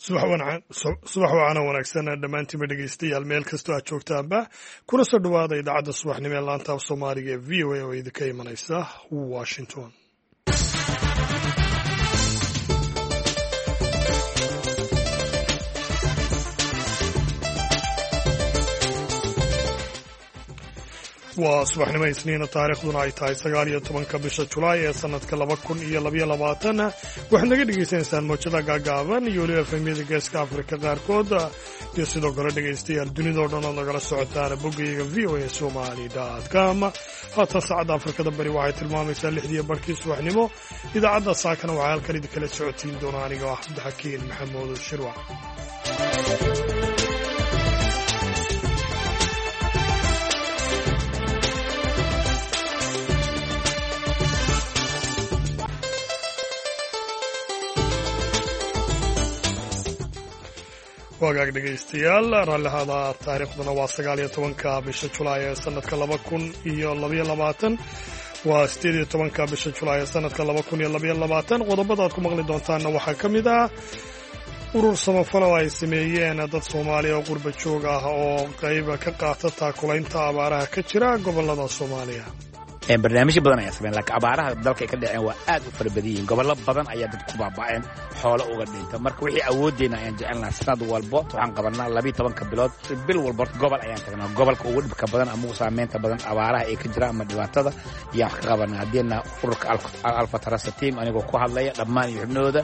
Subax wacana wanaagsan dhammaantiinba dhegeystayaal, meel kastoo aad joogtaanba, kuna soo dhowaada idaacadda subaxnimo ee laanta af Soomaaliga ee VOA oo idinka imanaysa Washington. Waa subaxnimo Isniina, taariikhduna ay tahay 19-ka bisha Julaay ee sanadka 2022. Waxaad naga dhegaysanaysaan mowjada gaagaaban iyo weliba efemyada Geeska Afrika qaarkood, iyo sidoo kale dhegaystayaal dunidao dhan ood nagala socotaan boggayaga voasomali com. Haatan saacadda Afrikada Bari waxay tilmaamaysaa lixdiiyo barhkii subaxnimo. Idaacadda saakana waxaa halkan idinkala socotiin doona aniga ah Cabdixakiin Maxamuud Shirwac. Wagaag dhegaystayaal, raallihada, taariikhduna waa 19-ka bisha Julaay ee sanadka 2022, waa 18-ka bisha Julaay ee sanadka 2022. Qodobada aad ku maqli doontaanna waxaa ka mid ah urur samafal oo ay sameeyeen dad Soomaaliya oo qurba joog ah oo qayba ka qaata taakulaynta abaaraha ka jira gobollada Soomaaliya. Barnaamijyo badan ayaa sameyn, laakiin abaaraha dalka ay ka dhaceen waa aad u fara badan yihiin. Gobollo badan ayaa dad ku baaba'een, xoolo uga dhinta. Marka wixii awooddeena ayaan jecelnaha. Sanad walbo waxaan qabanaa 12-ka bilood, bil walba gobol ayaan tagnaa, gobolka ugu dhibka badan ama ugu saameynta badan abaaraha ay ka jira ama dhibaatada ayaan wax ka qabanaa. Haddiina ururka Alfa Tarasa Team, anigoo ku hadlaya dhammaan iyo xubnahooda.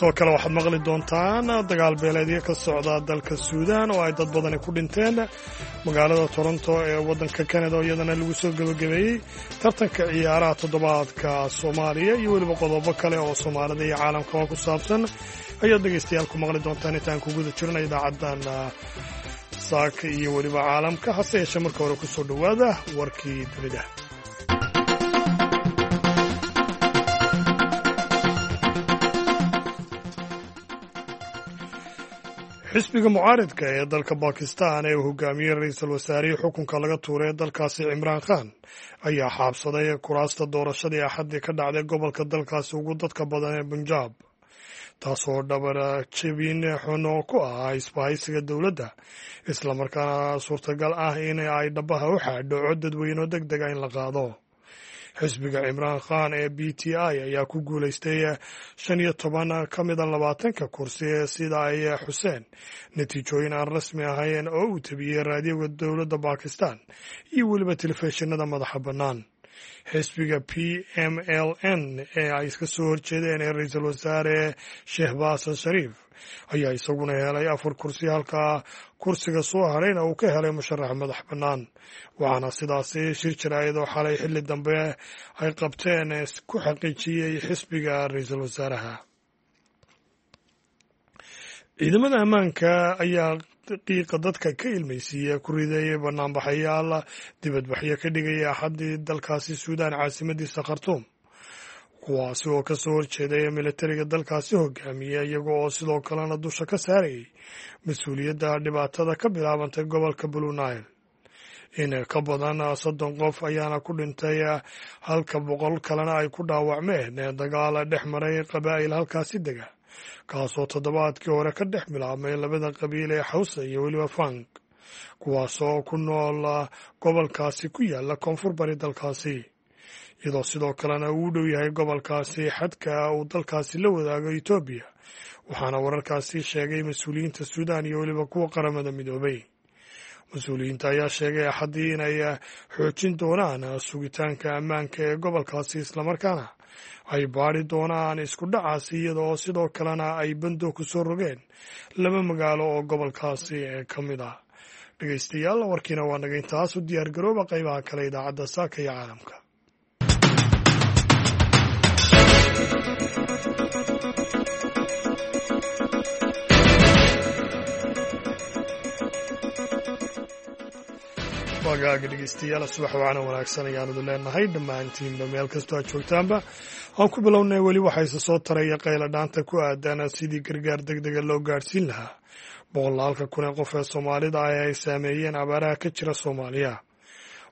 Sidoo kale waxaad maqli doontaan dagaal beeleedyo ka socda dalka Suudaan oo ay dad badani ku dhinteen, magaalada Toronto ee waddanka Canada oo iyadana lagu soo gebagabeeyey tartanka ciyaaraha toddobaadka Soomaaliya, iyo weliba qodobo kale oo Soomaalida iyo caalamkaba ku saabsan ayaad dhegaystayaal ku maqli doontaan intaan ku guda jirna idaacaddan saaka iyo weliba caalamka. Hase yeeshee marka hore ku soo dhowaada warkii dunida. Xisbiga mucaaridka ee dalka Bakistan ee uu hogaamiyey ra-iisul wasaarihii xukunka laga tuuray ee dalkaasi Cimraan Khan ayaa xaabsaday kuraasta doorashadii Axaddii ka dhacday gobolka dalkaasi ugu dadka badan ee Bunjaab, taasoo dhabar jebin xun oo ku ah isbahaysiga dowladda, islamarkaana suurtagal ah in ay dhabaha u xaadho cod dadweyne deg dega in la qaado. Xisbiga Cimraan Khan ee PTI ayaa ku guulaystay 15 ka mida 20-ka kursi, sida ay xuseen natiijooyin aan rasmi ahayn oo uu tabiyey raadiyoga dowladda Bakistan iyo weliba telefishinada madaxa bannaan. Xisbiga PMLN ee ay iska soo horjeedeen ee ra-iisul wasaare Shehbaas Shariif ayaa isaguna helay afar kursi, halka kursiga soo harayna uu ka helay musharax madax bannaan. Waxaana sidaasi shir jaraa'id oo xalay xilli dambe ay qabteen ku xaqiijiyey xisbiga ra-iisul wasaaraha. Ciidamada ammaanka ayaa qiiqa dadka ka ilmaysiiya ku rideeyay banaanbaxayaal dibadbaxyo ka dhigaya Axaddii dalkaasi Suudaan caasimadiisa Khartuum, kuwaasi oo ka soo horjeeday militariga dalkaasi hogaamiya, iyaga oo sidoo kalena dusha ka saarayay mas-uuliyadda dhibaatada ka bilaabantay gobolka Blue Nile. In ka badan 30 qof ayaana ku dhintay, halka 100 kalena ay ku dhaawacmeen dagaal dhex maray qabaa'il halkaasi dega, kaasoo toddobaadkii hore ka dhex bilaabmay labada qabiil ee Xawsa iyo weliba Fang, kuwaasoo ku nool gobolkaasi ku yaala koonfur bari dalkaasi, iyadoo sidoo kalena uu u dhow yahay gobolkaasi xadka uu dalkaasi la wadaago Etoobiya. Waxaana wararkaasi sheegay mas-uuliyiinta Suudaan iyo weliba kuwa Qaramada Midoobay. Mas-uuliyiinta ayaa sheegay Axaddii inay xoojin doonaan sugitaanka ammaanka ee gobolkaasi, islamarkaana ay baadhi doonaan isku dhacaasi, iyadoo sidoo kalena ay bando ku soo rogeen laba magaalo oo gobolkaasi ka mid ah. Dhegeystayaal, warkiina waa naga intaas. U diyaar garooba qaybaha kale idaacadda saaka iyo caalamka. Wagaaga dhegeystayaal, subax wacana wanaagsan ayaanadu leenahay dhammaantiinba meel kastoo aad joogtaanba. Aan ku bilownay, weli waxaa isa soo taraya qayla dhaanta ku aadan sidii gargaar deg dega loo gaadhsiin lahaa boqolaalka kun ee qof ee Soomaalida ah ee ay saameeyeen abaaraha ka jira Soomaaliya.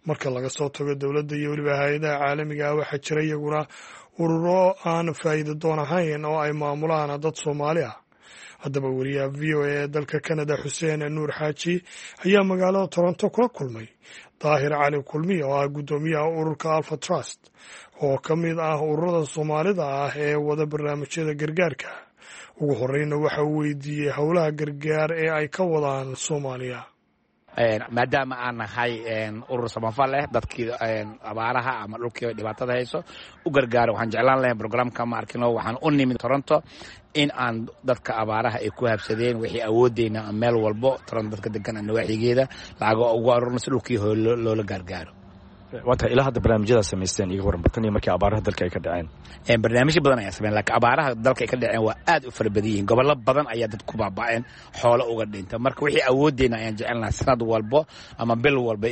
Marka laga soo tago dowladda iyo weliba hay-adaha caalamiga ah, waxaa jira iyaguna Ururo aan faa'iido doon ahayn oo ay maamulaan dad Soomaali ah. Haddaba, wariyaha VOA ee dalka Canada, Xuseen Nuur Xaaji, ayaa magaalada Toronto kula kulmay Daahir Cali Kulmiye, oo ah guddoomiyaha ururka Alpha Trust, oo ka mid ah ururada Soomaalida ah ee wada barnaamijyada gargaarka. Ugu horeyna waxa uu weydiiyey howlaha gargaar ee ay ka wadaan Soomaaliya. Maadaama aan nahay urur samafal leh, dadkii abaaraha ama dhulkii dhibaatada hayso u gargaaro, waxaan jeclaan lahay programka ma arkino, waxaan u nimid Toronto in aan dadka abaaraha ay ku habsadeen wixii awoodeyna meel walbo Toronto dadka degan nawaaxigeeda lacago ugu arurno si dhulkii loola gargaaro. Waa tahay, ilaa hadda barnaamijyadaa samaysteen iga warran, tan iyo markii abaaraha dalka ay ka dhaceen. Barnaamijyo badan ayaa sameyn, laakiin abaaraha dalka ay ka dhaceen waa aad u fara badan yihiin. Gobollo badan ayaa dad ku baaba'een, xoolo uga dhinta. Marka wixii awoodeyna ayaan jecelnaha sanad walbo ama bil walba,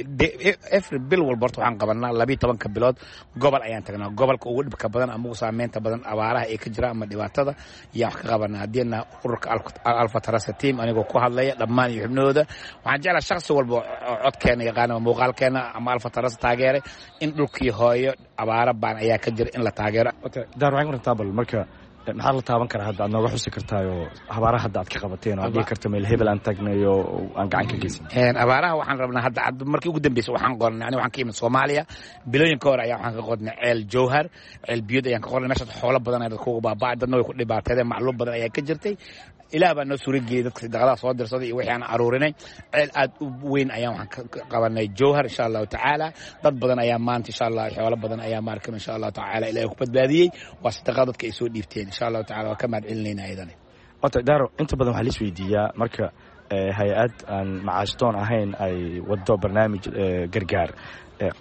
every bil walba horta waxaan qabanaa 12-ka bilood gobol ayaan tagnaa. Gobolka ugu dhibka badan ama ugu saameynta badan abaaraha ay ka jiraan ama dhibaatada ayaan wax ka qabanaa. Haddiina ururka Alpha Trust team, anigoo ku hadlaya dhammaan iyo xubnahooda, waxaan jeclaa shakhsi walba oo codkeena yaqaana ama muuqaalkeena ama Alpha Trust taageera in dhulkii hooyo abaaro baan ayaa ka jira in la taageero. Daar, waxaan warantaa bal marka maxaa la taaban karaa hadda aad nooga xusi kartaayoo abaaraha hadda aad ka qabateen oo aad dhihi karto meel hebel aan tagnay oo aan gacan ka geysan? Abaaraha waxaan rabnaa hadda markii ugu dambeysay waxaan qornay, aniga waxaan ka imid Soomaaliya, bilooyin ka hor ayaa waxaan ka qornay ceel Jowhar, ceel biyood ayaan ka qornay. Meeshaas xoolo badan ayaa dadka uga baaba'ay, dadna way ku dhibaateedeen, macluum badan ayaa ka jirtay. Ilaah baa noo suurageliyey dadka sadaqadaha soo dirsaday iyo wixii aan aruurinay. Ceel aad u weyn ayaan waxaan ka qabanay Jowhar, insha Allahu tacaala. Dad badan ayaa maanta, insha Allah, xoolo badan ayaa maarkan, insha Allahu tacaala, Ilaahay ku badbaadiyey. Waa sadaqada dadka ay soo dhiibteen, insha Allahu tacaala, waa ka mahad celinayna ayadana. Wata Daaro, inta badan waxaa la isweydiiyaa marka hay-ad aan macaashdoon ahayn ay wado barnaamij gargaar,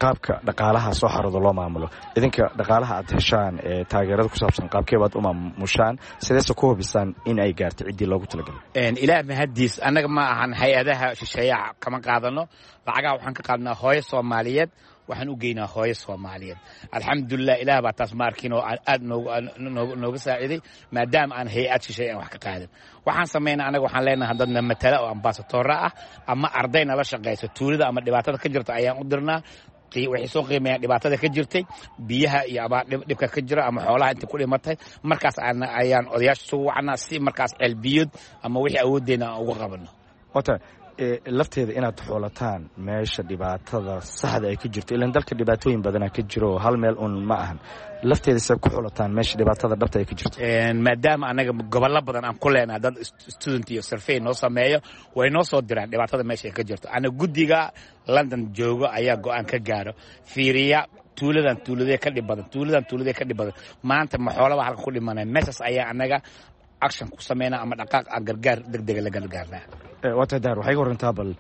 qaabka dhaqaalaha soo xarooda loo maamulo. Idinka dhaqaalaha aad heshaan ee taageerada ku saabsan, qaabkee baad u maamushaan, sideese ku hubisaan in ay gaarto ciddii loogu talagalay? Ilaah mahadiis, annaga ma ahan hay-adaha shisheeyaha kama qaadano lacagaha. Waxaan ka qaadnaa hooyo Soomaaliyeed, waxaan u geynaa hooyo Soomaaliyeed. Alxamdulilah, Ilaah baa taas ma arkin oo aad nooga saaciiday, maadaama aan hay-ad shisheeye aan wax ka qaadin. Waxaan samaynaa anaga, waxaan leenahay dadna matala oo ambaasatoora ah ama arday nala shaqayso. Tuulada ama dhibaatada ka jirta ayaan u dirnaa. Waxay soo qiimeeyaan dhibaatada ka jirtay, biyaha iyo abaar dhibka ka jira ama xoolaha inta ku dhimatay. Markaas ayaan odayaasha isugu wacnaa si markaas ceelbiyood ama wixii awooddeena aan uga qabano. Wata lafteeda inaad xoolataan meesha dhibaatada saxda ay ka jirto, ilaan dalka dhibaatooyin badanaa ka jiro, hal meel un ma ahan. Lafteeda se ku xulataan meesha dhibaatada dhabta ay ka jirto? Maadaama anaga gobollo badan aan ku leenahay dad student iyo survey noo sameeyo, way noo soo diraan dhibaatada meesha ay ka jirto. Ana guddiga London joogo ayaa go-aan ka gaaro, fiiriya tuuladan tuuladee ka dhib badan, tuuladan tuuladee ka dhib badan, maanta ma xoolaba halka ku dhimanaya. Meeshaas ayaa anaga action ku sameynaa ama dhaqaaq aan gargaar degdega la gargaarnaa. Waa tahay Daar, waxay ga warantaa bal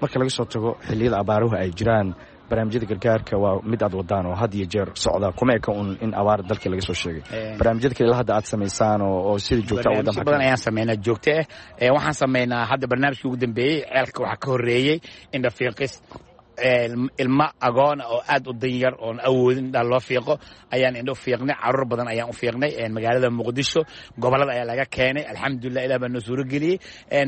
marka laga soo tago xilliyada abaaruhu ay jiraan, barnaamijyada gargaarka waa mid aad wadaan oo had iyo jeer socda, kuma eka un in abaar dalkii laga soo sheegay. Barnaamijyada kale ilaa hadda aad samaysaan oo sida joogta u wadaan? Badan ayaan sameynaa joogto ah. Waxaan sameynaa hadda barnaamijkii ugu dambeeyey, ceelka waxaa ka horreeyey indhafiiqis. Ilmo agoona oo aad u danyar oon awoodin indhaha loo fiiqo ayaan indho fiiqnay. Caruur badan ayaan u fiiqnay magaalada Muqdisho, gobolada ayaa laga keenay. Alxamdulilah, Ilah baa noo suurageliyey.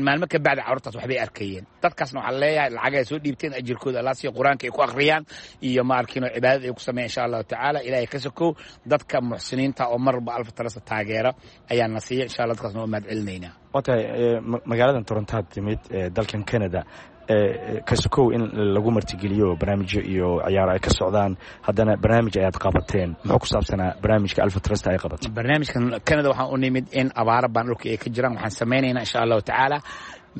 Maalmo ka bacdi carruurtaas waxbay arkayeen. Dadkaasna waxaan leeyahay lacag ay soo dhiibteen, ajirkooda Allah siiyo, Qur-aanka ay ku akhriyaan iyo ma arkiino cibaadada ay ku sameeyaan, insha Allahu tacaala. Ilaahay ka sokow, dadka muxsiniinta oo mar walba Alpha Trust taageera ayaa na siiya, insha Allah. Dadkaasna waa mahad celinaynaa. Waa tahay, magaaladan Torontaad timid dalkan Canada, kasokow in lagu martigeliyo barnaamijyo iyo ciyaaro ay ka socdaan, haddana barnaamij ayaad qabateen. Muxuu ku saabsanaa barnaamijka Alpha Trust ay qabateen? Barnaamijkan Canada waxaan u nimid in abaaro baan dhulka ay ka jiraan. Waxaan samaynaynaa, insha Allahu tacaala,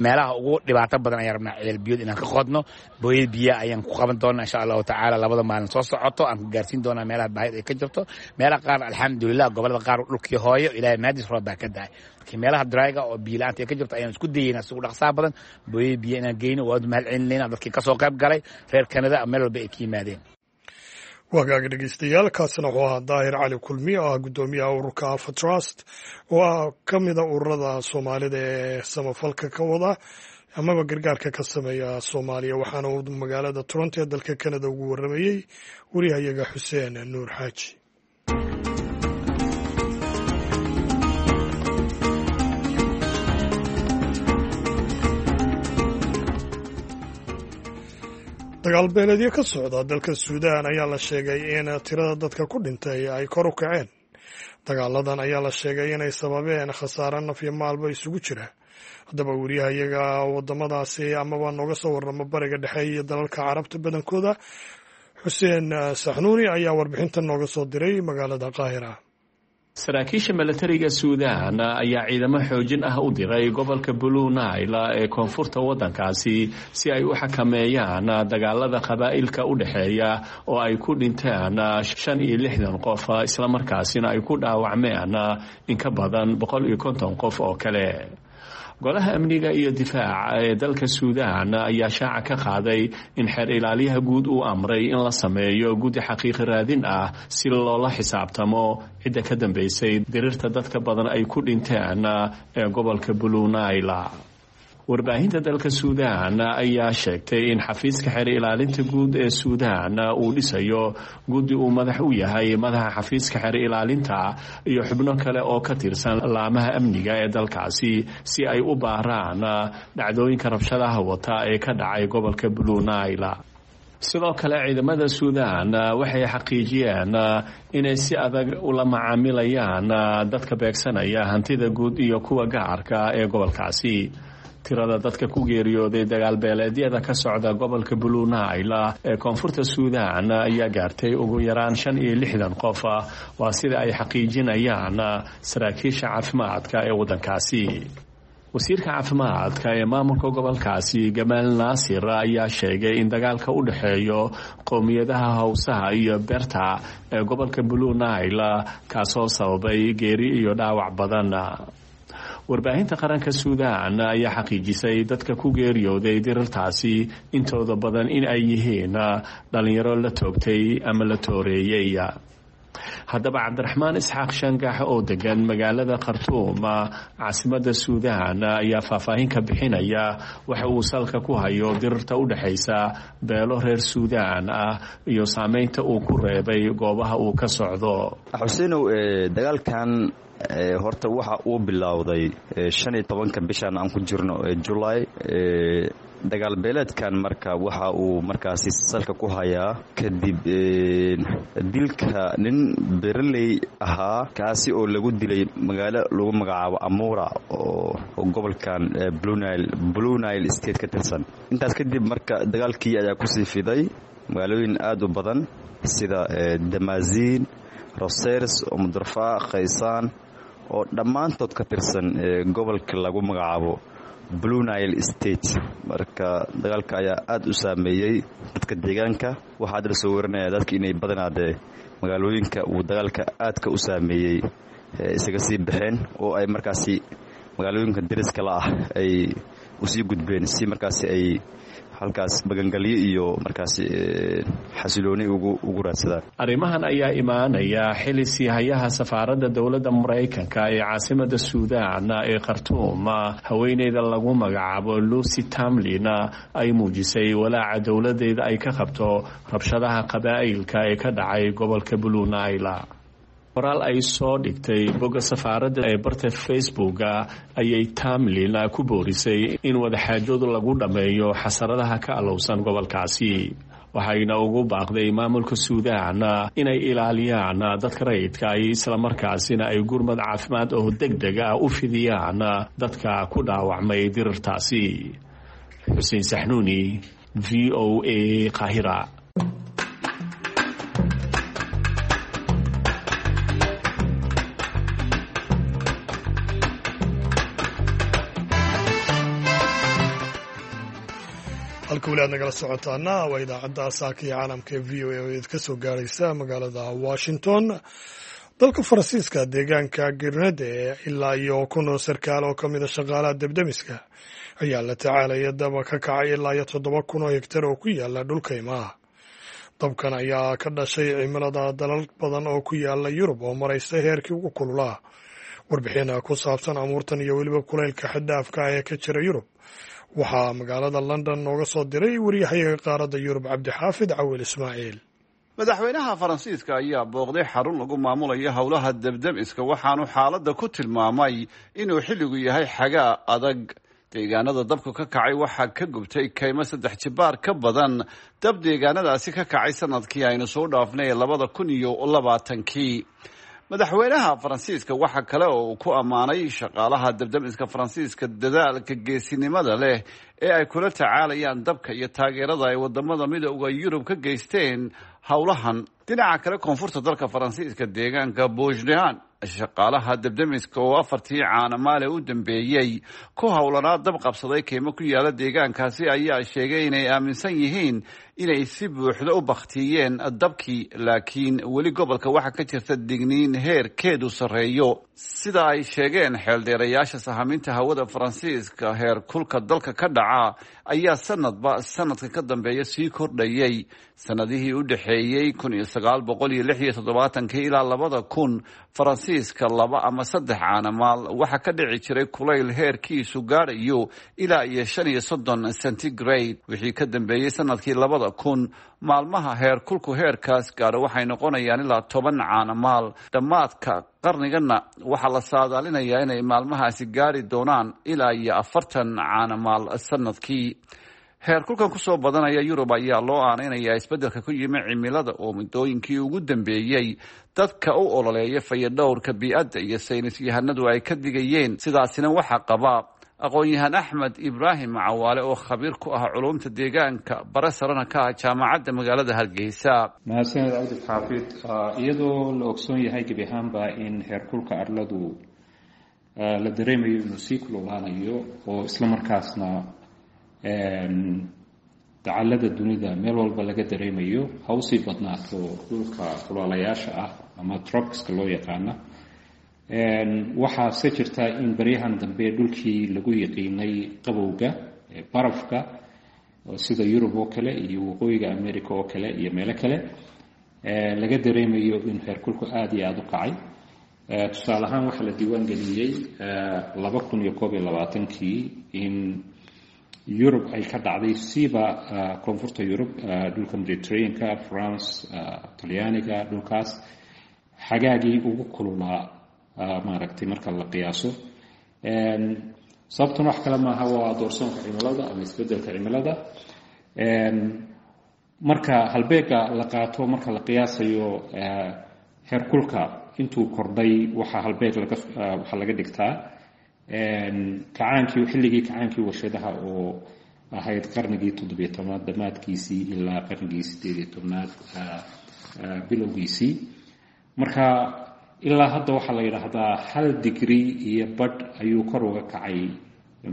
meelaha ugu dhibaato badan ayaan rabnaa ceel biyood inaan ka qodno. Booyad biyaa ayaan ku qaban doonaa, insha Allahu tacaala, labada maalin soo socoto aan ku gaarsiin doonaa meelaha baahida ay ka jirto. Meelaha qaar, alxamdulilah, gobolada qaar dhulkii hooyo, Ilaahay mahadis, roob baa ka dahay. Laakiin meelaha dryga oo biyo la'aanta ay ka jirto ayaan isku dayeynaa si ugu dhaqsaha badan booyad biyo inaan geyno. Waad mahad celinayna dadkii kasoo qayb galay, reer Canada meel walba ay ka yimaadeen. Wagaaga dhegeystayaal, kaasina wuxuu ahaa Daahir Cali Kulmiye, oo ah guddoomiyaha ururka Alpha Trust, oo ah ka mida ururada Soomaalida ee samafalka ka wada amaba gargaarka ka sameeya Soomaaliya. Waxaana uu magaalada Toronto ee dalka Canada ugu warramayey wariyahayaga Xuseen Nuur Xaaji. Dagaalka Dagaal beeleedyo ka socda dalka Suudaan ayaa la sheegay in tirada dadka ku dhintay ay kor u kaceen. Dagaaladan ayaa la sheegay inay sababeen khasaare naf iyo maalba isugu jira. Haddaba weriyaha iyaga wadamadaasi amaba nooga soo warrama Bariga Dhexe iyo dalalka Carabta badankooda, Xuseen Saxnuuni, ayaa warbixintan nooga soo diray magaalada Qaahira. Saraakiisha milatariga Suudaan ayaa ciidamo xoojin ah u diray gobolka Blue Nile ee koonfurta waddankaasi si ay u xakameeyaan dagaalada qabaa'ilka u dhexeeya oo ay ku dhinteen 65 qof, islamarkaasina ay ku dhaawacmeen in ka badan 150 qof oo kale. Golaha Amniga iyo Difaaca ee dalka Suudaan ayaa shaaca ka qaaday in xeer ilaaliyaha guud uu amray in la sameeyo guddi xaqiiqi raadin ah si loola xisaabtamo cidda ka dambeysay dirirta dadka badan ay ku dhinteen ee gobolka Blue Nile. Warbaahinta dalka Suudaan ayaa sheegtay in xafiiska xeer ilaalinta guud ee Suudaan uu dhisayo guddi uu madax u yahay madaxa xafiiska xeer ilaalinta iyo xubno kale oo ka tirsan laamaha amniga ee dalkaasi si ay u baaraan dhacdooyinka rabshadaha wata ee ka dhacay gobolka Blue Nile. Sidoo kale, ciidamada Suudaan waxay xaqiijiyeen inay si adag ula macaamilayaan dadka beegsanaya hantida guud iyo kuwa gaarka ee gobolkaasi. Tirada dadka ku geeriyooday dagaalbeeleedyada ka socda gobolka Blue Nile ee koonfurta Suudaan ayaa gaartay ugu yaraan 65 qof, waa sida ay xaqiijinayaan saraakiisha caafimaadka ee waddankaasi. Wasiirka caafimaadka ee maamulka gobolkaasi, Gamaal Naasir, ayaa sheegay in dagaalka u dhexeeyo qowmiyadaha Hawsaha iyo Berta ee gobolka Blue Nile kaasoo sababay geeri iyo dhaawac badan. Warbaahinta qaranka Suudaan ayaa xaqiijisay dadka ku geeriyooday dirirtaasi intooda badan in ay yihiin dhalinyaro la toogtay ama la tooreeyey. Haddaba, Cabdiraxmaan Isxaaq Shangax oo degan magaalada Khartuum, caasimada Suudaan, ayaa faahfaahin ka bixinaya waxa uu salka ku hayo dirirta u dhexaysa beelo reer Suudaan ah iyo saameynta uu ku reebay goobaha uu ka socdo. Xuseinow, dagaalkan horta waxa uu bilowday 15-ka bishan aan ku jirno ee Julaay. Dagaal beeleedkan marka waxa uu markaasi salka ku hayaa kadib dilka nin beraley ahaa, kaasi oo lagu dilay magaalo lagu magacaabo Amura oo gobolkan Blue Nile State ka tirsan. Intaas kadib marka dagaalkii ayaa kusii fiday magaalooyin aad u badan sida Damaasiin, Rosers, Omdurfa, Khaysaan oo dhammaantood ka tirsan gobolka lagu magacaabo Blue Nile State. Marka dagaalka ayaa aad u saameeyey dadka deegaanka. Waxaa hadda lasoo warinaya dadka inay badanaadee magaalooyinka uu dagaalka aadka u saameeyey isaga sii baxeen oo ay markaasi magaalooyinka dariska la ah ay usii gudbeen si markaasi ay halkaas magangalyo iyo markaasi xasilooni ugu raadsadaan. Arrimahan ayaa imaanaya xili siihayaha safaaradda dowladda Maraykanka ee caasimada Suudaan ee Khartuum, haweeneyda lagu magacaabo Lucy Tamlin, ay muujisay walaaca dowladeeda ay ka qabto rabshadaha qabaa'ilka ee ka dhacay gobolka Blue Nile. Qoraal ay soo dhigtay bogga safaaradda ee barta Facebooka ayay Tamlin ku boorisay in wadaxaajoodu lagu dhammeeyo xasaradaha ka alowsan gobolkaasi, waxayna ugu baaqday maamulka Suudaan inay ilaaliyaan dadka rayidka ay islamarkaasina ay gurmad caafimaad oo deg deg ah u fidiyaan dadka ku dhaawacmay dirirtaasi. Xuseen Saxnuuni, VOA, Qaahira. Halka weli aad nagala socotaana waa idaacadda saaka iyo caalamka ee VOA oo idinka soo gaaraysa magaalada Washington. Dalka Faransiiska, deegaanka Grenade, ilaa iyo 1000 sarkaal oo ka mida shaqaalaha debdemiska ayaa la tacaalaya daba ka kacay ilaa iyo 7000 oo hegtar oo ku yaala dhulka imaha. Dabkan ayaa ka dhashay cimilada dalal badan oo ku yaala Yurub oo maraysa heerkii ugu kululaa. Warbixin ku saabsan amuurtan iyo weliba kulaylka xaddhaafka ah ee ka jira Yurub waxaa magaalada London nooga soo diray wariyahayaga qaaradda Yurub, Cabdixaafid Cawil Ismaaciil. Madaxweynaha Faransiiska ayaa booqday xarun lagu maamulayo howlaha debdemiska, waxaanu xaaladda ku tilmaamay inuu xilligu yahay xagaa adag. Deegaanada dabku ka kacay waxaa ka gubtay kaymo 3 jibaar ka badan dab deegaanadaasi ka kacay sanadkii aynu soo dhaafnay 2020-kii. Madaxweynaha Faransiiska waxa kale oo uu ku ammaanay shaqaalaha dabdamiska Faransiiska dadaalka geesinimada leh ee ay kula tacaalayaan dabka iyo taageerada ay wadamada Midowda Yurub ka geysteen howlahan. Dhinaca kale, koonfurta dalka Faransiiska, deegaanka Bushdehan, shaqaalaha dabdamiska oo 4tii caanamaale u dambeeyey ku howlanaa dab qabsaday keymo ku yaala deegaankaasi ayaa sheegay inay aaminsan yihiin inay si buuxda u baktiyeen dabkii, laakiin weli gobolka waxaa ka jirta digniin heerkeedu sarreeyo. Sida ay sheegeen xeeldheerayaasha sahaminta hawada Faransiiska, heer kulka dalka ka dhaca ayaa sanadba sanadka ka dambeeya sii kordhayay. Sanadihii u dhexeeyey 1976-kii ilaa 2000, Faransiiska 2 ama 3 caanamaal waxaa ka dhici jiray kulayl heerkiisu gaadhayo ilaa iyo 35 centigrade. Wixii ka dambeeyey sanadkii 2000, maalmaha heer kulku heerkaas gaadho waxay noqonayaan ilaa 10 caanamaal. Dhammaadka qarnigana waxaa la saadaalinayaa inay maalmahaasi gaari doonaan ilaa iyo 40 caanamaal sanadkii. Heerkulkan kusoo badanaya Yurub ayaa loo aaneynayaa isbeddelka ku yimi cimilada oo muddooyinkii ugu dambeeyey dadka u ololeeya fayadhowrka bii'adda iyo saynis yahanadu ay ka digayeen. Sidaasina waxaa qaba aqoon-yahan Axmed Ibraahim Cawaale oo khabiir ku ah culumta deegaanka, bare sarena ka ah jaamacadda magaalada Hargeysa. Mahadsaned Cabdi Xaafid. Iyadoo la ogsoon yahay gebi ahaanba in heerkulka arladu la dareemayo inuu sii kululaanayo oo isla markaasna dacallada dunida meel walba laga dareemayo, ha usii badnaato dhulka kulaalayaasha ah ama tropicska loo yaqaana, waxaase jirta in baryahan dambe dhulkii lagu yaqiinay qabowga barafka sida Yurub oo kale iyo waqooyiga America oo kale iyo meelo kale laga dareemayo in heerkulku aada iyo aada u kacay. Tusaale ahaan, waxaa la diiwaan geliyey 2021-kii in Yurub ay ka dhacday, siiba koonfurta Yurub, dhulka Mediterraneanka, France, Talyaaniga, dhulkaas xagaagii ugu kululaa maaragtay marka la qiyaaso. Sababtuna wax kale maaha, waa doorsoonka cimilada ama isbedelka cimilada. Marka halbeega la qaato marka la qiyaasayo heerkulka intuu kordhay, waxaa halbeeg waxaa laga dhigtaa kacaankii, xilligii kacaankii warshadaha oo ahayd qarnigii 17aad dhammaadkiisii ilaa qarnigii 18aad bilowgiisii. Marka ilaa hadda waxaa la yidhaahdaa 1.5 digrii ayuu kor uga kacay,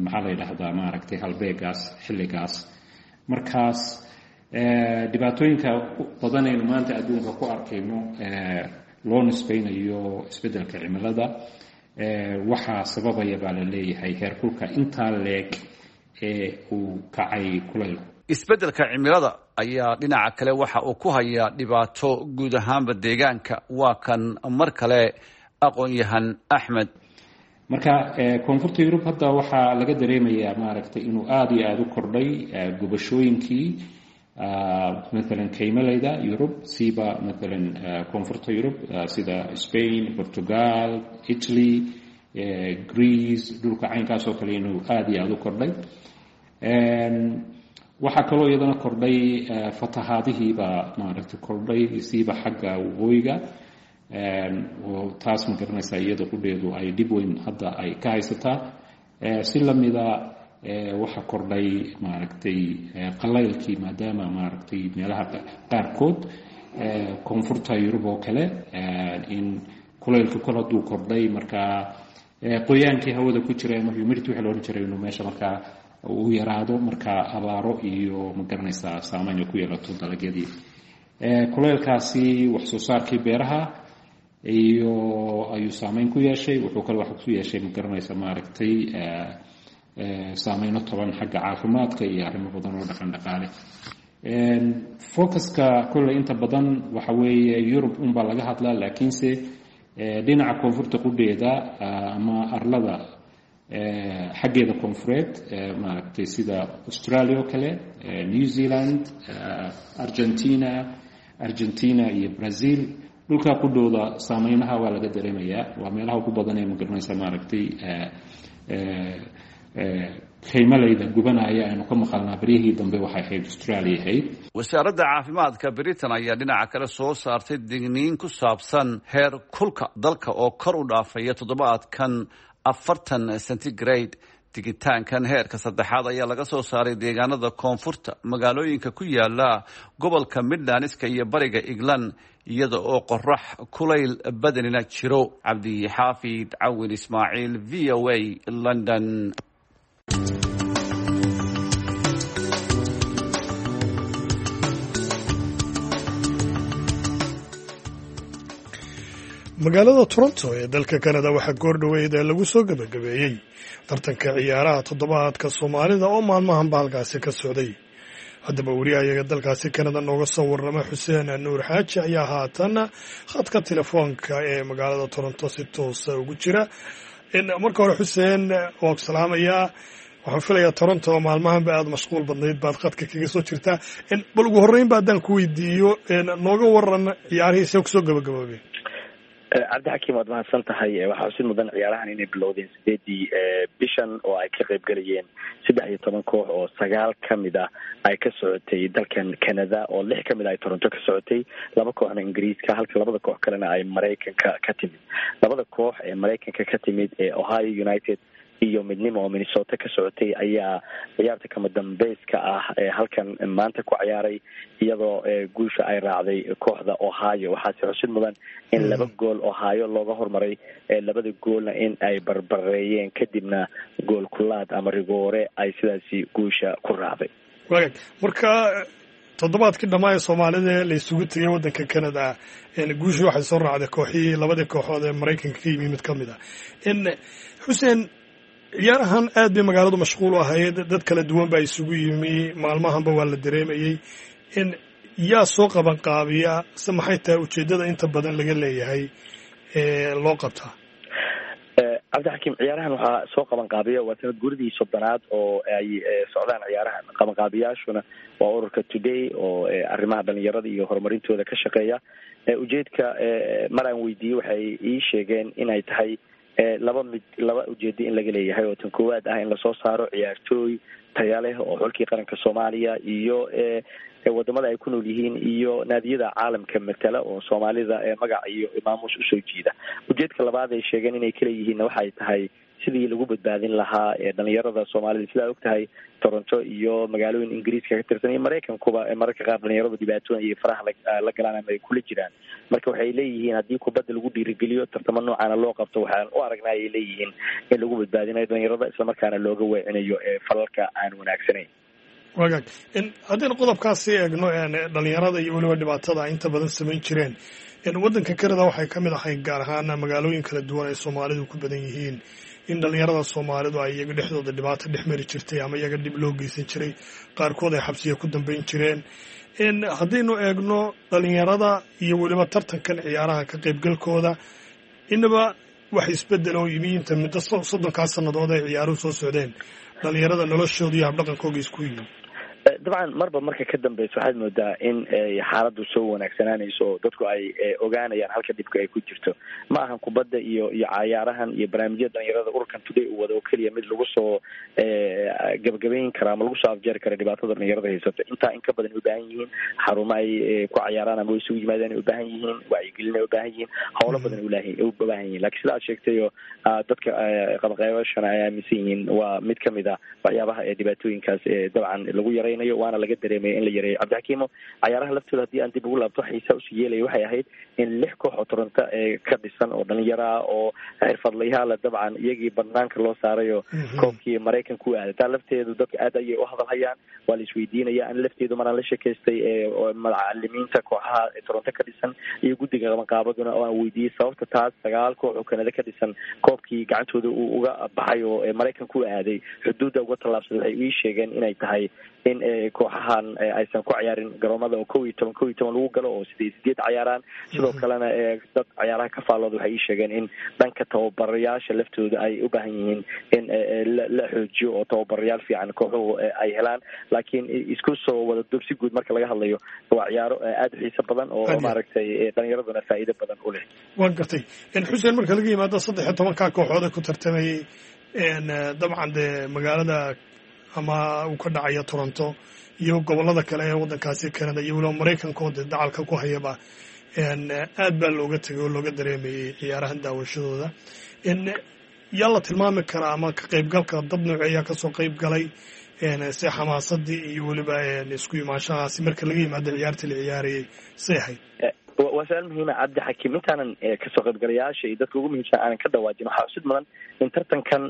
maxaa la yidhaahdaa, maaragtay, halbeegaas xilligaas. Markaas dhibaatooyinka badan aynu maanta adduunka ku arkayno loo nisbaynayo isbeddelka cimilada waxaa sababaya baa la leeyahay heerkulka intaa leeg ee uu kacay kulaylku. Isbeddelka cimilada ayaa dhinaca kale waxa uu ku hayaa dhibaato guud ahaanba deegaanka. Waa kan mar kale aqoon-yahan Axmed. Marka koonfurta Yurub hadda waxaa laga dareemayaa, maaragtay, inuu aada iyo aada u kordhay gubashooyinkii, maalan kaymaleyda Yurub, siiba maalan koonfurta Yurub sida Spain, Portugal, Italy, Greece, dhulka caynkaas oo kale inuu aada iyo aada u kordhay. Waxaa kaloo iyadana kordhay fatahaadihiibaa, maaragtay, kordhay, siiba xagga waqooyiga, oo taas, ma garanaysaa, iyada qudheedu ay dhib weyn hadda ay ka haysataa. Si lamida waxaa kordhay, maaragtay, qalaylkii, maadaama, maaragtay, meelaha qaarkood koonfurta Yurub oo kale in kulaylka kol hadduu kordhay, markaa qoyaankii hawada ku jira ama humidity waxa la odhan jiray inuu meesha markaa uu yaraado, markaa abaaro iyo, ma garanaysaa, saameyn ay ku yeelato dalagyadii. Kulaylkaasi wax soo saarkii beeraha iyo ayuu saameyn ku yeeshay. Wuxuu kale wax ku yeeshay, ma garanaysa, maaragtay, saameyno toban xagga caafimaadka iyo arrimo badan oo dhaqan dhaqaale. Focuska kolley inta badan waxa weeye Yurub unbaa laga hadlaa, laakiinse dhinaca koonfurta qudheeda ama arlada xaggeeda koonfureed, maaragtay, sida Australia oo kale, New Zealand, Argentina iyo Brazil, dhulkaa qudhooda saameynaha waa laga dareemayaa. Waa meelaha ugu badan ee, ma garanaysa, maaragtay. kaymalayda gubanaya aynu ka maqalnaa baryihii dambe waxay ahayd Australia ahayd. Wasaaradda caafimaadka Britain ayaa dhinaca kale soo saartay digniin ku saabsan heer kulka dalka oo kor u dhaafaya toddobaadkan 40 centigrade. Digitaankan heerka saddexaad ayaa laga soo saaray deegaanada koonfurta, magaalooyinka ku yaala gobolka Midlandska iyo bariga England, iyada oo qorax kulayl badanina jiro. Cabdixaafid Cawin Ismaaciil, V O A, London. Magaalada Toronto ee dalka Canada waxaa goordhoweyd ee lagu soo gebagabeeyey tartanka ciyaaraha toddobaadka Soomaalida oo maalmahanba halkaasi ka socday. Haddaba wariyahayaga dalkaasi Canada nooga soo warrama, Xuseen Nuur Xaaji, ayaa haatan khadka telefoonka ee magaalada Toronto si toosa ugu jira. Marka hore, Xuseen, waa ku salaamayaa. Waxaan filayaa Toronto maalmahanba aada mashquul badnayd baad khadka kaga soo jirtaa. Bal ugu horreynba haddaan ku weydiiyo, nooga waran ciyaarihii see kusoo gabagaboobeen. Cabdixakiim, waad mahadsan tahay. Waxaa xusid mudan ciyaarahan inay bilowdeen 8-dii bishan oo ay ka qayb galayeen 13 koox oo 9 ka mid ah ay ka socotay dalkan Canada, oo 6 ka mid ah ay Toronto ka socotay, 2 kooxna Ingiriiska, halka labada koox kalena ay Maraykanka ka timid. Labada koox ee Maraykanka ka timid ee Ohio United iyo Midnimo oo Minnesota ka socotay ayaa ciyaarta kama dambeyska ah ee halkan maanta ku ciyaaray, iyadoo guusha ay raacday kooxda Ohio. Waxaase xusid mudan in 2 gool Ohio looga hormaray, labada goolna in ay barbareeyeen, kadibna gool kulaad ama rigoore ay sidaasi guusha ku raacday. Wagaag, marka toddobaadkii dhammaa ee Soomaalida la isugu tegay waddanka Canada, guushii waxay soo raacday kooxihii labadii kooxood ee Maraykanka ka yimi mid ka mid ah. Xuseen, ciyaarahan aad bay magaaladu mashquul u ahayd, dad kala duwan baa isugu yimi, maalmahanba waa la dareemayey. In yaa soo qaban qaabiya se maxay tahay ujeeddada inta badan laga leeyahay ee loo qabtaa? Cabdixakiim, ciyaarahan waxaa soo qaban qaabiya, waa sanad guridii 30aad oo ay socdaan ciyaarahan. Qabanqaabiyaashuna waa ururka Today oo arrimaha dhalinyarada iyo horumarintooda ka shaqeeya. Ujeedka mar aan weydiiyey waxay ii sheegeen inay tahay laba mid, laba ujeedo in laga leeyahay, oo tan koowaad ah in lasoo saaro ciyaartooy taya leh oo xulkii qaranka Soomaaliya iyo wadamada ay ku nool yihiin iyo naadiyada caalamka matala oo Soomaalida magac iyo maamuus usoo jiida. Ujeedka labaad ay sheegeen inay kala yihiinna waxay tahay sidii lagu badbaadin lahaa dhalinyarada Soomaalida. Sidaa og tahay, Toronto iyo magaalooyin Ingiriiska ka tirsan iyo Maraykankuba mararka qaar dhalinyaradu dhibaatooyin iyo faraha la galaan ama ay kula jiraan. Marka waxay leeyihiin haddii kubadda lagu dhiirigeliyo, tartamo noocaana loo qabto, waxaan u aragnaa, ay leeyihiin, in lagu badbaadinayo dhalinyarada, islamarkaana looga weecinayo falalka aan wanaagsanayn. Wagaag, haddaynu qodobkaasi eegno, dhalinyarada iyo weliba dhibaatada inta badan samayn jireen, waddanka Canada waxay ka mid ahayd, gaar ahaan magaalooyin kala duwan ay Soomaalidu ku badan yihiin, in dhalinyarada Soomaalidu ay iyaga dhexdooda dhibaato dhex mari jirtay ama iyaga dhib loo geysan jiray, qaarkood ay xabsiya ku dambeyn jireen. Haddaynu eegno dhalinyarada iyo weliba tartankan ciyaaraha ka qaybgalkooda, inaba wax isbedel oo yimi inta muddo 30-kaa sannadood ay ciyaaruhu soo socdeen dhalinyarada noloshooda iyo habdhaqankooga isku yimi? Dabcan, marba marka ka dambeysa waxaad moodaa in xaaladdu soo wanaagsanaanayso oo dadku ay ogaanayaan halka dhibka ay ku jirto. Ma ahan kubadda iyo cayaarahan iyo barnaamijyada dhalinyarada ururkan Today uu wado oo keliya mid lagu soo gabagabayn kara ama lagu soo afjeeri kara dhibaatada dhalinyarada haysato. Intaa in ka badan ay ubaahan yihiin, xarumo ay ku cayaaraan ama isugu yimaadaan ay ubaahan yihiin, wacyigelin ay ubaahan yihiin, howlo badan ay ubaahan yihiin. Lakiin sida aad sheegtayo, dadka qabanqaabashana ay aaminsan yihiin, waa mid kamid ah waxyaabaha ee dhibaatooyinkaas dabcan lagu yaray, waana laga dareemaya in la yareeyo. Cabdixakiimo, cayaaraha laftooda haddii aan dib ugu laabto, xiisa usii yeelaya waxay ahayd in 6 koox oo Toronto ka dhisan oo dhalinyaraa oo xirfadlayaala dabcan iyagii banaanka loo saarayo koobkii Maraykanka u aaday. Taa lafteedu dadka aad ayay u hadalhayaan, waa la isweydiinaya. An lafteedu maraan la sheekaystay macalimiinta kooxaha Toronto ka dhisan iyo guddiga qabanqaabaduna oo aan weydiiyey sababta taas 9 koox oo Kanada ka dhisan koobkii gacantooda uu uga baxay oo Maraykanka u aaday, xuduudda uga tallaabsaday, waxay ii sheegeen inay tahay in kooxahan aysan ku ciyaarin garoomada oo 11 11 lagu galo oo 8 8 cayaaraan. Sidoo kalena dad cayaaraha ka faallooda waxay ii sheegeen in dhanka tababarayaasha laftooda ay u baahan yihiin in la xoojiyo oo tababarayaal fiican kooxuhu ay helaan. Laakiin isku soo wada duub, si guud marka laga hadlayo, waa ciyaaro aada u xiiso badan oo maaragtay dhalinyaraduna faa'iido badan u leh. Waan gartay, Xuseen. Marka laga yimaado 13-ka kooxood ee ku tartamayey Dabcan dee magaalada ama uu ka dhacaya Toronto iyo gobollada kale ee waddankaasi Canada iyo weliba Maraykanka oo dee dacalka ku hayaba, aad baa looga tegay oo looga dareemayey ciyaarahan daawashadooda. Yaa la tilmaami karaa ama ka qaybgalka dad nooceeyaa kasoo qayb galay, si xamaasadii iyo weliba isku imaanshahaasi marka laga yimaado ciyaartii la ciyaarayay say ahayd? Waa su-aal muhiima, Cabdi Xakiim. Intaanan kasoo qaybgalayaasha iyo dadka ugu muhiimsan aanan ka dhawaajin, waxaa xusid mudan in tartankan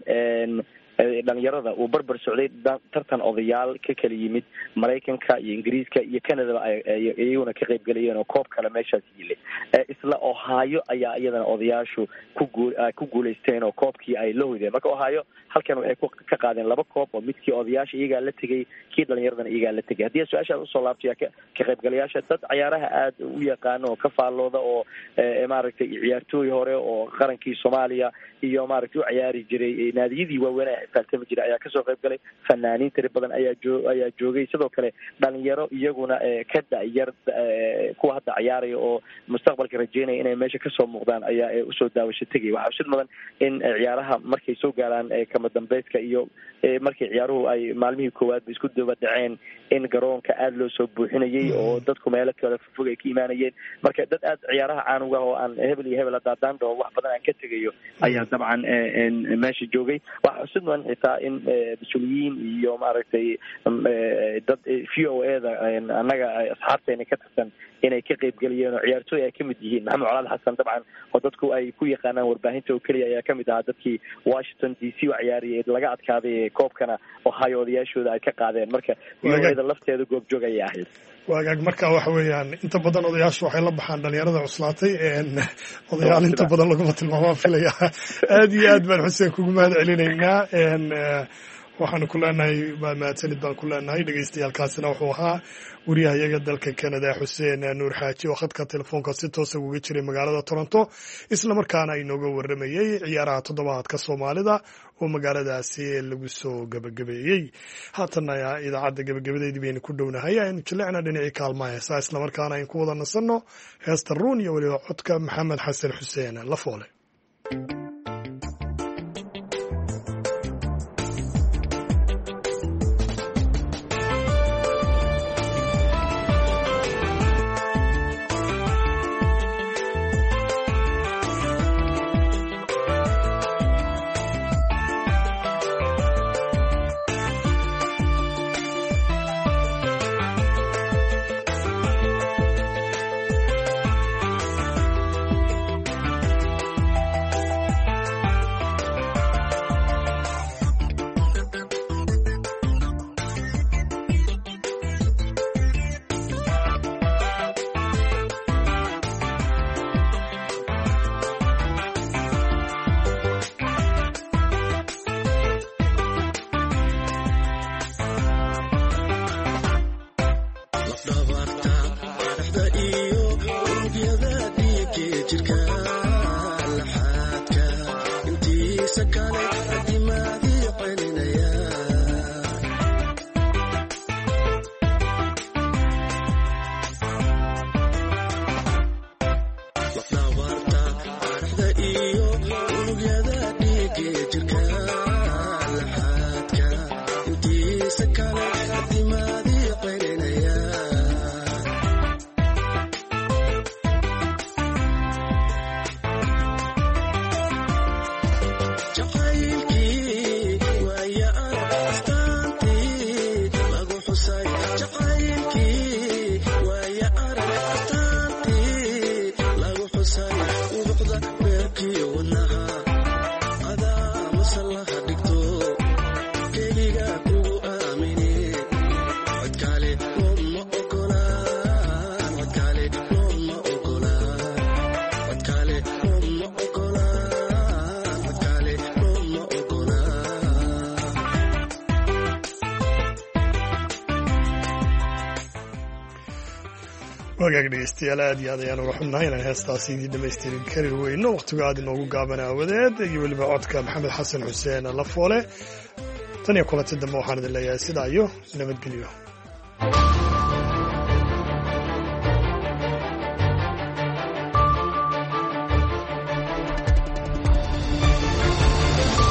dhalinyarada uu barbar socday tartan odayaal ka kala yimid Maraykanka iyo Ingiriiska iyo Canadaba iyaguna ka qaybgelayeen oo koob kale meeshaas yilay. Isla Ohio ayaa iyadana odayaashu ku guulaysteen oo koobkii ay la hoydeen. Marka Ohio halkan waxay ka qaadeen laba koob, oo midkii odayaasha iyagaa la tegay, kii dhalinyaradana iyagaa la tegay. Haddii su-aashaas usoo laabtaya, ka qaybgalayaasha dad ciyaaraha aada u yaqaano oo ka faallooda oo maaragtay ciyaartooy hore oo qarankii Soomaaliya iyo maaragtay u ciyaari jiray naadiyadii waaweyn ee xifaaltami jiray ayaa kasoo qayb galay. Fanaaniin tiri badan ayaa joogay. Sidoo kale dhalinyaro iyaguna ka da-yar kuwa hadda ciyaaraya oo mustaqbalka rajeynaya inay meesha kasoo muuqdaan ayaa usoo daawasho tegaya. Waxaa xusid mudan in ciyaaraha markay soo gaaraan kama dambayska iyo markay ciyaaruhu ay maalmihii koowaadba isku daba dhaceen, in garoonka aada loo soo buuxinayay oo dadku meelo kale fog ay ka imaanayeen. Marka dad aada ciyaaraha caanuga oo aan hebel iyo hebel hadaadaan dhaho wax badan aan ka tegayo ayaa dabcan meesha joogay. Waxaa xusid mudan xitaa in mas-uuliyiin iyo maaragtay dad VOA da annaga asxaabteena ka tirsan inay ka qaybgeliyeen oo ciyaartooy ay kamid yihiin. Maxamed Colaad Xasan dabcan oo dadku ay ku yaqaanaan warbaahinta oo keliya ayaa kamid ahaa dadkii Washington DC u ciyaariyay laga adkaaday koobkana Ohio odayaashooda ay ka qaadeen. Marka VOA da lafteeda goobjoog ayay ahayd. Waagaag, marka waxa weeyaan inta badan odayaashu waxay la baxaan dhalinyarada cuslaatay, odayaal inta badan laguma tilmaamaan filaya. Aad iyo aad baan Xuseen kugu mahad celinaynaa. Waxaanu ku leenahay waa mahadsanid baan ku leenahay. Dhegeystayaalkaasina wuxuu ahaa wariyahayaga dalka Canada Xuseen Nuur Xaaji oo khadka telefoonka si toosa uga jiray magaalada Toronto, islamarkaana inooga waramayey ciyaaraha toddobaadka Soomaalida oo magaaladaasi lagu soo gebagabeeyey. Haatanna idaacadda gebagabadeedii baynu ku dhownahay. Aynu jilecna dhinacii kaalmaha heesaa, islamarkaana aynu ku wada nasanno heesta Ruun iyo weliba codka Maxamed Xasan Xuseen Lafoole. Wagaag dhegeystayaal, aad iyo aad ayaan uga xubnahay inaan heestaasi idiin dhamaystirin kari weyno, wakhtigu aad inoogu gaaban aawadeed, iyo weliba codka Maxamed Xasan Xuseen Lafoole. Tan iyo kulanti dambe waxaan idin leeyahay sidaa iyo nabadgelyo.